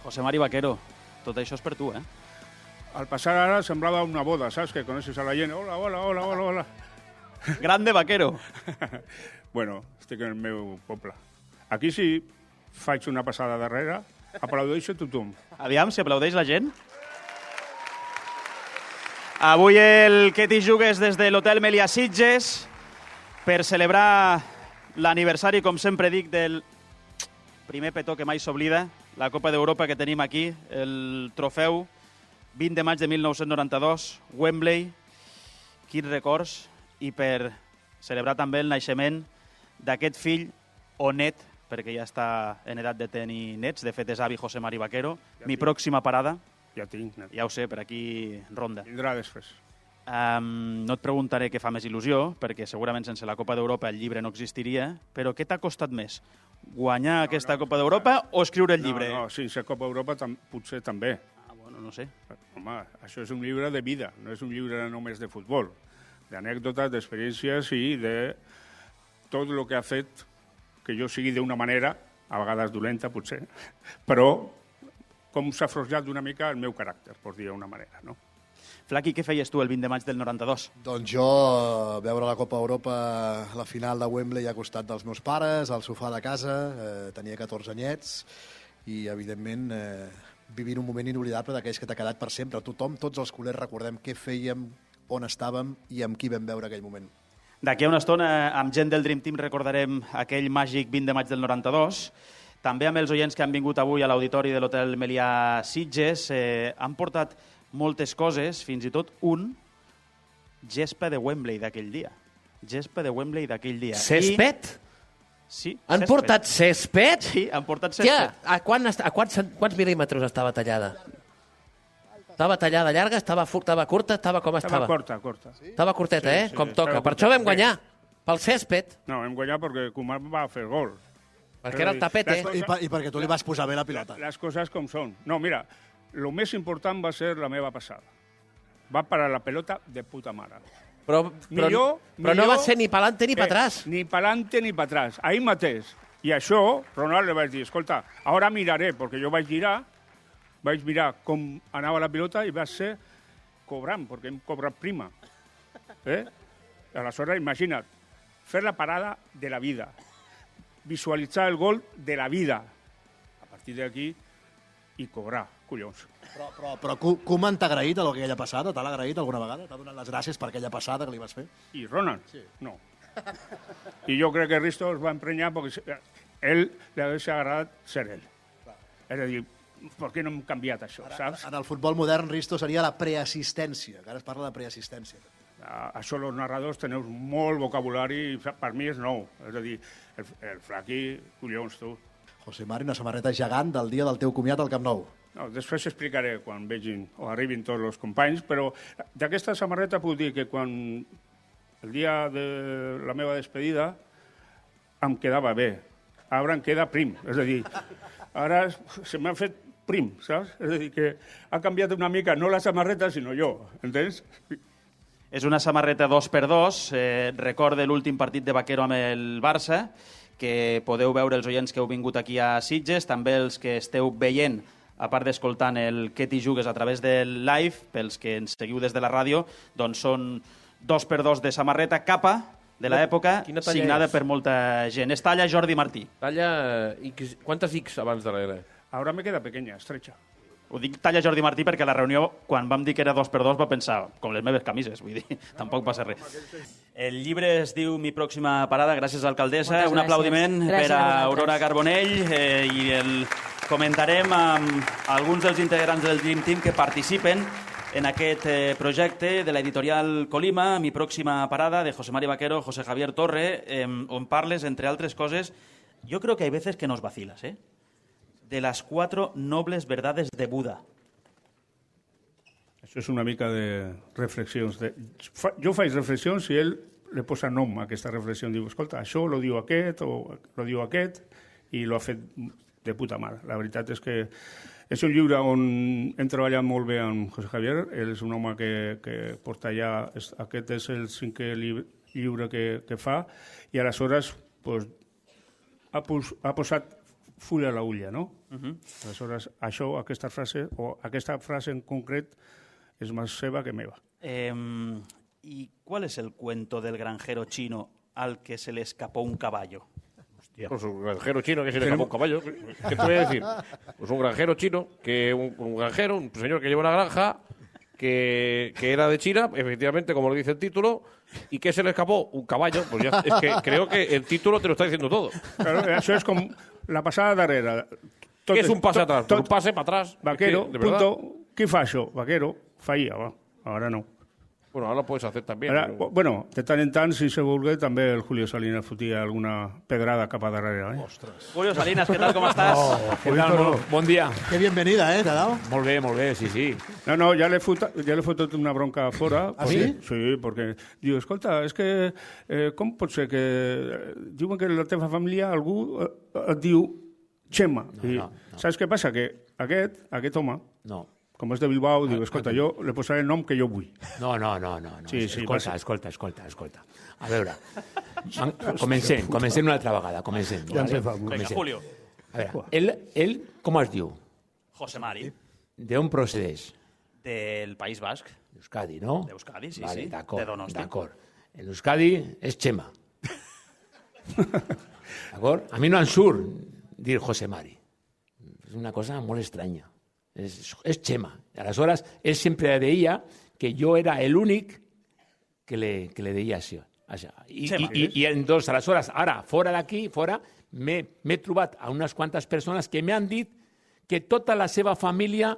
José Mari Vaquero, tot això és per tu, eh? Al passar ara semblava una boda, saps? Que coneixes a la gent. Hola, hola, hola, hola, hola. Grande Vaquero. Bueno, estic en el meu poble. Aquí sí faig una passada darrere, aplaudeixo tothom. Aviam, si aplaudeix la gent. Avui el que t'hi jugues des de l'Hotel Melià Sitges per celebrar l'aniversari, com sempre dic, del primer petó que mai s'oblida, la Copa d'Europa que tenim aquí, el trofeu 20 de maig de 1992, Wembley, quins records, i per celebrar també el naixement d'aquest fill o net, perquè ja està en edat de tenir nets, de fet és avi José Mari Vaquero, mi pròxima parada. Ja tinc, net. Ja ho sé, per aquí ronda. Vindrà després. No et preguntaré què fa més il·lusió, perquè segurament sense la Copa d'Europa el llibre no existiria, però què t'ha costat més? Guanyar aquesta Copa d'Europa o escriure el llibre? No, sense Copa d'Europa potser també. Bueno, no sé. Home, això és un llibre de vida, no és un llibre només de futbol, d'anècdotes, d'experiències i de tot el que ha fet que jo sigui d'una manera, a vegades dolenta potser, però com s'ha forjat d'una mica el meu caràcter, per dir d'una manera, no? Flaqui, què feies tu el 20 de maig del 92? Doncs jo, veure la Copa Europa, la final de Wembley a costat dels meus pares, al sofà de casa, tenia 14 anyets, i evidentment vivint un moment inoblidable d'aquells que t'ha quedat per sempre. Tothom, tots els culers, recordem què fèiem, on estàvem i amb qui vam veure aquell moment. D'aquí a una estona, amb gent del Dream Team, recordarem aquell màgic 20 de maig del 92. També amb els oients que han vingut avui a l'auditori de l'Hotel Melià Sitges han portat moltes coses, fins i tot un gespa de Wembley d'aquell dia. Gespa de Wembley d'aquell dia. Césped? Sí, han portat césped? Sí, han portat césped. A quants mil·límetres estava tallada? Estava tallada llarga, estava curta, com estava? Estava curta. Estava curteta, sí, com toca. Per això vam guanyar, pel césped. No, vam guanyar perquè Koeman va fer gol. Perquè era el tapete. I perquè tu li vas posar bé la pilota. Les coses com són. No, mira, el més important va ser la meva passada. Va parar la pelota de puta mare. Però no va ser ni pa'lante ni pa'trás. Ni pa'lante ni pa'trás. Ahir mateix. I això, Ronald li vaig dir, escolta, ara miraré, perquè jo vaig mirar com anava la pilota i va ser cobrant, perquè hem cobrat prima. Aleshores, imagina't, fer la parada de la vida, visualitzar el gol de la vida, a partir d'aquí, i cobrar, collons. Però Koeman t'ha agraït a aquella passada? T'ha agraït alguna vegada? T'ha donat les gràcies per aquella passada que li vas fer? I Ronald? Sí. No. I jo crec que Risto es va emprenyar perquè ell li hauria agradat ser ell. És a dir, per què no hem canviat això, saps? En el futbol modern, Risto, seria la preassistència, que ara es parla de preassistència. Això els narradors teniu molt vocabulari i per mi és nou. És a dir, el Flaqui, collons, tu. José Mari, una samarreta gegant del dia del teu comiat al Camp Nou. No, després explicaré quan vegin o arribin tots els companys, però d'aquesta samarreta puc dir que quan el dia de la meva despedida em quedava bé. Ara em queda prim, és a dir, ara se m'ha fet prim, saps? És a dir, que ha canviat una mica, no la samarreta, sinó jo, entens? És una samarreta 2x2, recorda l'últim partit de Vaquero amb el Barça, que podeu veure els oients que heu vingut aquí a Sitges, també els que esteu veient, a part d'escoltant el que t'hi jugues a través del live, pels que ens seguiu des de la ràdio, doncs són 2x2 de samarreta capa de l'època, signada per molta gent. És talla Jordi Martí. Talla X, quantes X abans darrere? Ara me queda pequeña, estrecha. Ho dic talla Jordi Martí perquè a la reunió, quan vam dir que era 2x2, va pensar, com les meves camises, vull dir, tampoc passa res. El llibre es diu Mi pròxima parada, gràcies, alcaldessa. Un aplaudiment per a Aurora Carbonell i el comentarem amb alguns dels integrants del Dream Team que participen en aquest projecte de l'editorial Colima, Mi pròxima parada, de José Mari Vaquero, José Javier Torre, on parles, entre altres coses, yo creo que hay veces que nos vacilas, de las 4 nobles verdades de Buda. Això és una mica de reflexions. Jo faig reflexions i ell li posa nom a aquesta reflexió. Diu, escolta, això lo diu aquest o lo diu aquest i lo ha fet de puta mare. La veritat és que és un llibre on hem treballat molt bé amb José Javier. Ell és un home que porta ja... Aquest és el 5è llibre que fa i aleshores ha posat full a la ulla, no? Aleshores, això, aquesta frase en concret és més seva que meva. ¿Y cuál es el cuento del granjero chino al que se le escapó un caballo? Pues un granjero chino que se le escapó un caballo. ¿Qué te voy a decir? Pues un granjero chino, un señor que lleva una granja, que era de China, efectivamente, como lo dice el título, y que se le escapó un caballo. Pues ya, es que creo que el título te lo está diciendo todo. Claro, això és com la passada darrere. ¿Qué es un pase atrás? Un pase para atrás. Vaquero, es que, punto. Qui fa això? Vaquero, feia, va. Ara no. Bueno, ahora lo puedes hacer también. Ara, bueno, de tant en tant, si se vulgui, també el Julio Salinas fotia alguna pedrada cap a darrere. Ostres. Julio Salinas, ¿qué tal? ¿Cómo estás? ¿Qué tal? Bon dia. Qué bienvenida, ¿te ha dado? Molt bé, sí, sí. No, ja l'he fotut una bronca fora. Ah, sí? Sí, perquè diu, escolta, és que com pot ser que diuen que la teva família algú et diu Chema? No. Saps què passa? Que aquest home, No. com és de Bilbao, diu, escolta, jo le posaré el nom que jo vull. No. Sí, Escolta. A veure, comencem una altra vegada, comencem. Ja vale? Venga, Julio. A veure, ell com es diu? José Mari, D'on procedeix? del País Basc. D'Euskadi, no? D'Euskadi, sí, vale, sí. D'acord, De Donosti. d'acord. En Euskadi és Chema. D'acord? A mi no em surt dir José Mari. És una cosa molt estranya. És Chema. Aleshores, ell sempre deia que jo era l'únic que le deia això. I entonces, aleshores, ara, fora d'aquí, m'he trobat a unes quantes persones que m'han dit que tota la seva família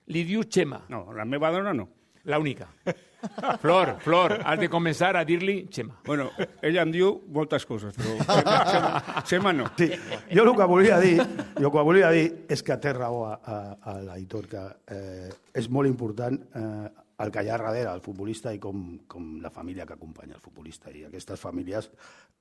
li diu Chema. No, la meva dona no. L'única. Flor, has de començar a dir-li Chema. Bueno, ella em diu moltes coses, però Chema no. Sí. Jo el que volia dir és que té raó a l'Aitor, que és molt important el que hi ha darrere el futbolista i com la família que acompanya el futbolista. I aquestes famílies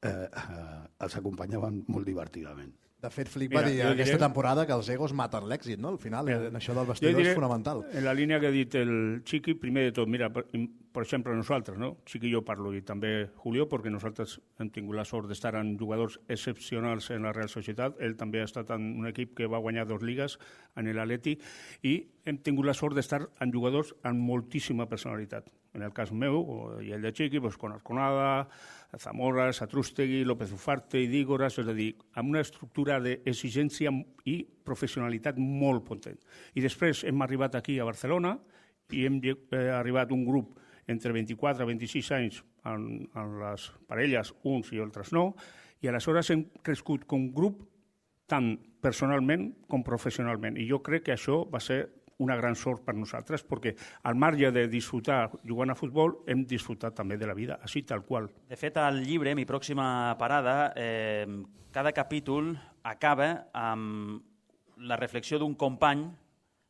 els acompanyaven molt divertidament. De fet, Flick va dir aquesta temporada que els egos maten l'èxit, no? Al final, això del vestidor és fonamental. En la línia que ha dit el Chiqui, primer de tot, mira, per exemple, nosaltres, no? Chiqui i jo parlo, i també Julio, perquè nosaltres hem tingut la sort d'estar en jugadors excepcionals en la Real Societat. Ell també ha estat en un equip que va guanyar 2 lligues, en l'Atleti, i hem tingut la sort d'estar en jugadors amb moltíssima personalitat. En el cas meu, i el de Chiqui, doncs, con Arconada, Zamora, Satrústegui, López Ufarte i Dígoras, és a dir, amb una estructura d'exigència i professionalitat molt potent. I després hem arribat aquí a Barcelona i hem arribat un grup entre 24 i 26 anys en les parelles, uns i altres no, i aleshores hem crescut com un grup tant personalment com professionalment. I jo crec que això va ser una gran sort per nosaltres, perquè al marge de disfrutar jugant a futbol, hem disfrutat també de la vida, així tal qual. De fet, al llibre, Mi pròxima parada, cada capítol acaba amb la reflexió d'un company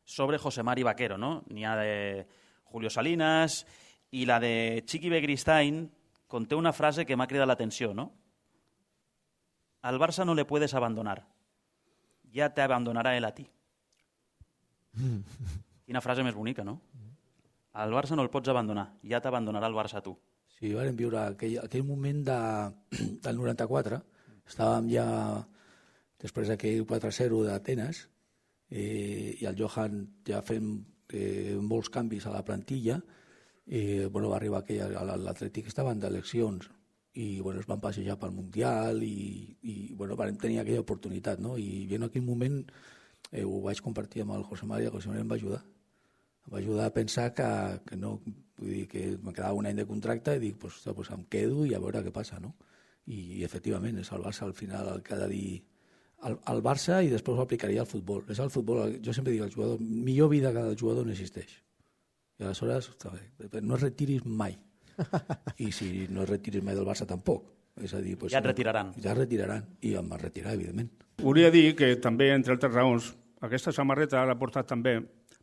sobre José Mari Vaquero, no? N'hi ha de Julio Salinas i la de Chiqui Begristain conté una frase que m'ha cridat l'atenció, no? Al Barça no le puedes abandonar, ya te abandonará él a ti. Quina frase més bonica, no? Al Barça no el pots abandonar, ja t'abandonarà el Barça a tu. Sí, vam viure aquell moment del 94, estàvem ja després d'aquell 4-0 d'Atenes i el Johan ja fent molts canvis a la plantilla i va arribar l'Atlètic estaven d'eleccions i es van passejar pel Mundial i vam tenir aquella oportunitat, no? I en aquell moment ho vaig compartir amb el José Mari, el José Mari em va ajudar. Em va ajudar a pensar que no, vull dir, que me quedava un any de contracte i dic, pues em quedo i a veure què passa, no? I efectivament, és el Barça al final el que ha de dir al Barça i després ho aplicaria al futbol. És el futbol, jo sempre dic al jugador, millor vida que el jugador no existeix. I aleshores, no es retiris mai. I si no es retiris mai del Barça tampoc. És a dir, ja et retiraran. Ja es retiraran i em va retirar, evidentment. Volia dir que també, entre altres raons, aquesta samarreta l'ha portat també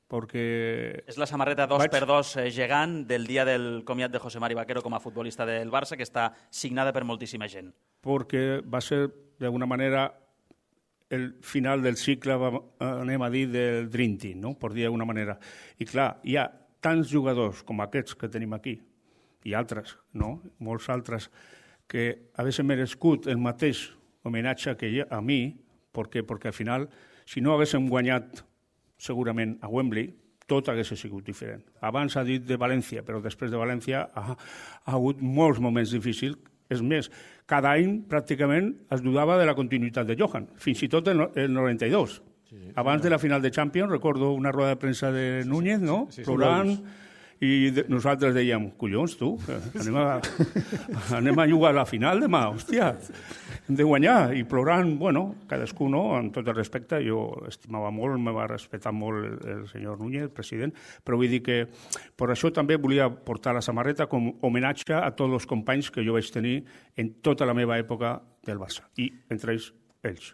perquè... És la samarreta 2x2 gegant del dia del comiat de José Mari Vaquero com a futbolista del Barça, que està signada per moltíssima gent. Perquè va ser, d'alguna manera, el final del cicle, anem a dir, del Dream Team, no? Per dir d'alguna manera. I clar, hi ha tants jugadors com aquests que tenim aquí, i altres, no? Molts altres, que haguessin merescut el mateix homenatge que a mi, Perquè al final, si no haguéssim guanyat segurament a Wembley, tot hagués sigut diferent. Abans ha dit de València, però després de València ha hagut molts moments difícils. És més, cada any pràcticament es dudava de la continuïtat de Johan, fins i tot el 92. Abans de la final de Champions, recordo una roda de premsa de Núñez, no? Plorant, i nosaltres dèiem, collons, tu, anem a jugar a la final demà, hòstia, hem de guanyar. I plorant, bueno, cadascú, no? Amb tot el respecte, jo estimava molt, me va respectar molt el senyor Núñez, el president, però vull dir que per això també volia portar la samarreta com homenatge a tots els companys que jo vaig tenir en tota la meva època del Barça, i entre ells.